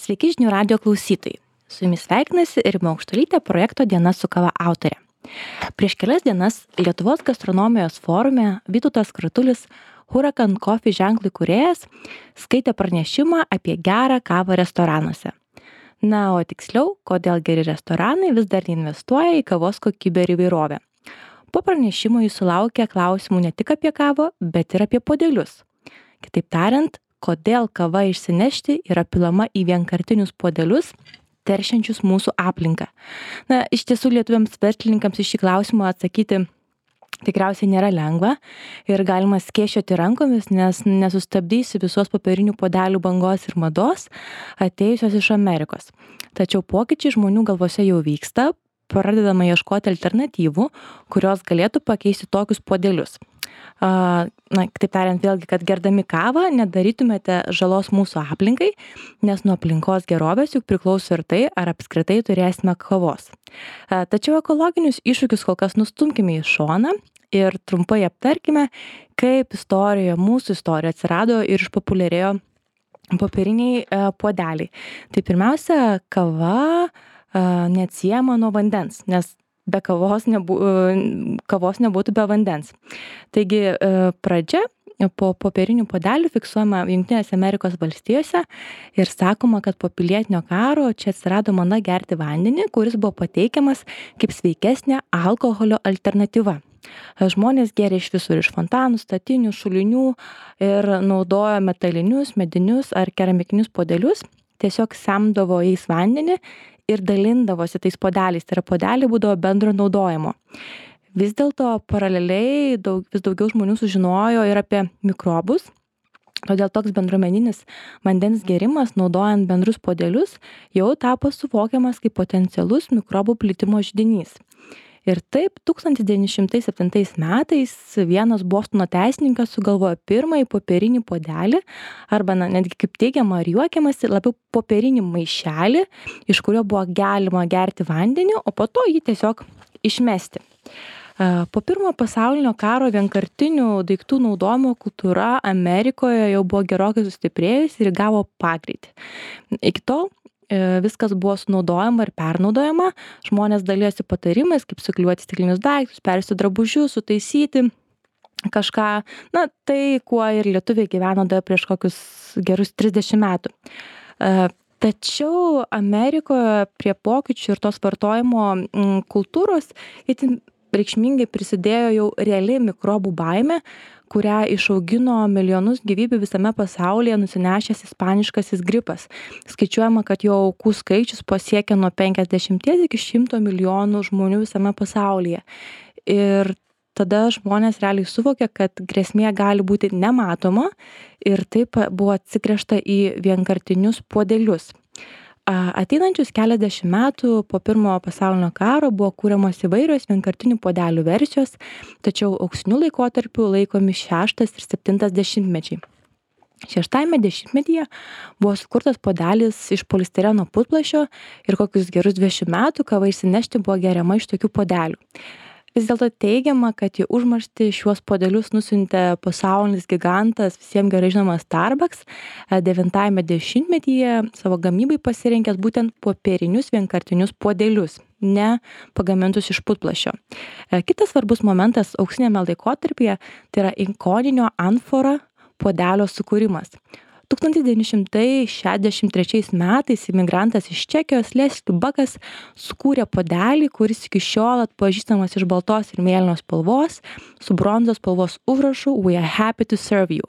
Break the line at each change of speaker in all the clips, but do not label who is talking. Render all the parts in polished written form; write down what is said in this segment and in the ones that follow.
Sveiki žinių radio klausytojai. Su jumis sveikinasi Rima Aukštuolytė, projekto Diena su kava autorė. Prieš kelias dienas Lietuvos gastronomijos forume Vytautas Kratulis, Huracan Coffee ženklų įkūrėjas, skaitė pranešimą apie gerą kavą restoranuose. Na, o tiksliau, kodėl geri restoranai vis dar investuoja į kavos kokybę ir įvairovę. Po pranešimo jis sulaukė klausimų ne tik apie kavą, bet ir apie puodelius. Kitaip tariant, kodėl kava išsinešti yra pilama į vienkartinius puodelius, teršiančius mūsų aplinką. Na, iš tiesų lietuviams verslininkams iš šį klausimą atsakyti tikriausiai nėra lengva ir galima skėsčioti rankomis, nes nesustabdysi visos popierinių puodelių bangos ir mados atėjusios iš Amerikos. Tačiau pokyčiai žmonių galvose jau vyksta, pradedama ieškoti alternatyvų, kurios galėtų pakeisti tokius puodelius. Na, kitaip tariant, vėlgi, kad gerdami kavą nedarytumėte žalos mūsų aplinkai, nes nuo aplinkos gerovės juk priklauso ir tai, ar apskritai turėsime kavos. Tačiau ekologinius iššūkius kol kas nustumkime į šoną ir trumpai aptarkime, kaip mūsų istorija atsirado ir išpopuliarėjo popieriniai puodeliai. Tai pirmiausia, kava neatsiejama nuo vandens, nes be kavos nebūtų be vandens. Taigi pradžia po popierinių puodelių fiksuojama Jungtinėse Amerikos valstijose ir sakoma, kad po pilietinio karo čia atsirado mada gerti vandenį, kuris buvo pateikiamas kaip sveikesnė alkoholio alternatyva. Žmonės gėrė iš visur, iš fontanų, statinių, šulinių ir naudojo metalinius, medinius ar keramikinius puodelius, tiesiog semdavo jais vandenį ir dalindavosi tais puodeliais, tai yra puodeliai būdavo bendro naudojimo. Vis dėlto paraleliai vis daugiau žmonių sužinojo ir apie mikrobus, todėl toks bendruomeninis vandens gėrimas naudojant bendrus puodelius jau tapo suvokiamas kaip potencialus mikrobų plitimo židinys. Ir taip 1907 metais vienas Bostono teisininkas sugalvojo pirmąjį popierinį puodelį, arba netgi kaip teigiama ar juokiamasi, labiau popierinį maišelį, iš kurio buvo galima gerti vandenį, o po to jį tiesiog išmesti. Po pirmojo pasaulinio karo vienkartinių daiktų naudojimo kultūra Amerikoje jau buvo gerokai sustiprėjusi ir gavo pagreitį. Iki tol viskas buvo sunaudojama ir pernaudojama, žmonės dalijasi patarimais, kaip suklijuoti stiklinius daiktus, persiūti drabužius, sutaisyti kažką, na tai, kuo ir lietuviai gyveno dar prieš kokius gerus 30 metų. Tačiau Amerikoje prie pokyčių ir tos vartojimo kultūros itin reikšmingai prisidėjo jau reali mikrobų baimė, kurią išaugino milijonus gyvybių visame pasaulyje nusinešęs ispaniškasis gripas. Skaičiuojama, kad jo aukų skaičius pasiekė nuo 50 iki 100 milijonų žmonių visame pasaulyje. Ir tada žmonės realiai suvokė, kad grėsmė gali būti nematoma ir taip buvo atsigręžta į vienkartinius puodelius. Ateinančius keliasdešimt metų po pirmojo pasaulinio karo buvo kūriamos įvairios vienkartinių puodelių versijos, tačiau auksiniu laikotarpiu laikomi 6 ir 7 dešimtmečiai. 6 dešimtmetyje buvo sukurtas puodelis iš polistireno putplasčio ir kokius gerus 20 metų kava išsinešti buvo geriama iš tokių puodelių. Vis dėlto teigiama, kad į užmarštį šiuos puodelius nusiuntė pasaulinis gigantas, visiems gerai žinomas Starbucks, 9 dešimtmetyje savo gamybai pasirinkęs būtent popierinius vienkartinius puodelius, ne pagamintus iš putplasčio. Kitas svarbus momentas auksiniame laikotarpyje tai yra ikoninio amfora puodelio sukūrimas. 1963 metais imigrantas iš Čekijos Leslie Buckas sukūrė puodelį, kuris iki šiol atpažįstamas iš baltos ir mėlynos spalvos, su bronzos spalvos užrašu We are happy to serve you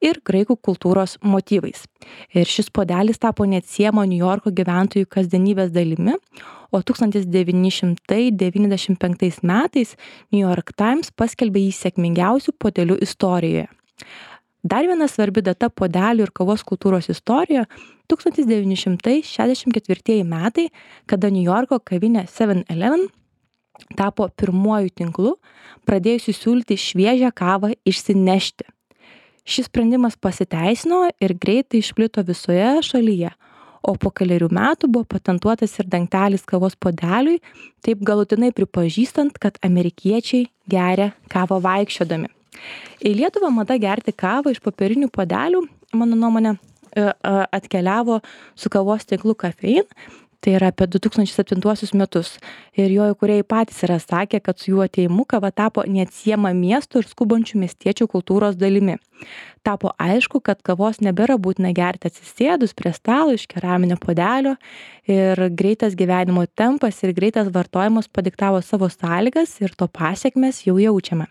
ir graikų kultūros motyvais. Ir šis puodelis tapo neatsiejama Niujorko gyventojų kasdienybės dalimi, o 1995 metais New York Times paskelbė jį sėkmingiausių puodelių istorijoje. Dar viena svarbi data puodelių ir kavos kultūros istorijoje – 1964 metai, kada Niujorko kavinė 7-Eleven tapo pirmuoju tinklu, pradėjusiu siūlyti šviežią kavą išsinešti. Šis sprendimas pasiteisino ir greitai išplito visoje šalyje, o po kelerių metų buvo patentuotas ir dangtelis kavos puodeliui, taip galutinai pripažįstant, kad amerikiečiai geria kavą vaikščiodami. Į Lietuvą mada gerti kavą iš popierinių puodelių, mano nuomonė, atkeliavo su kavos tinklu Kafein, tai yra apie 2007 metus. Ir jo įkūrėjai patys yra sakę, kad su jų atėjimu kava tapo neatsiejama miestų ir skubančių miestiečių kultūros dalimi. Tapo aišku, kad kavos nebėra būtina gerti atsisėdus prie stalo iš keraminio puodelio ir greitas gyvenimo tempas ir greitas vartojimas padiktavo savo sąlygas ir to pasekmes jau jaučiame.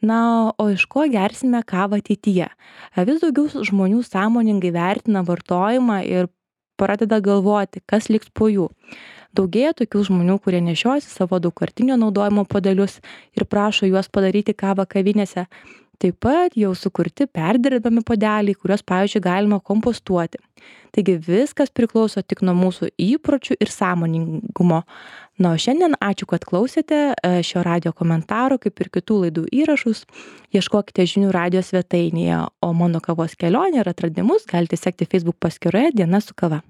Na, o iš ko gersime kavą ateityje? Vis daugiau žmonių sąmoningai vertina vartojimą ir pradeda galvoti, kas liks po jų. Daugėja tokių žmonių, kurie nešiojasi savo daugkartinio naudojimo puodelius ir prašo juos padaryti kavą kavinėse. Taip pat jau sukurti perdirbami puodeliai, kuriuos, pavyzdžiui, galima kompostuoti. Taigi viskas priklauso tik nuo mūsų įpročių ir sąmoningumo. Na, o šiandien ačiū, kad klausėte šio radijo komentaro, kaip ir kitų laidų įrašus. Ieškokite žinių radijo svetainėje, o mano kavos kelionę ir atradimus galite sekti Facebook paskyroje Diena su kava.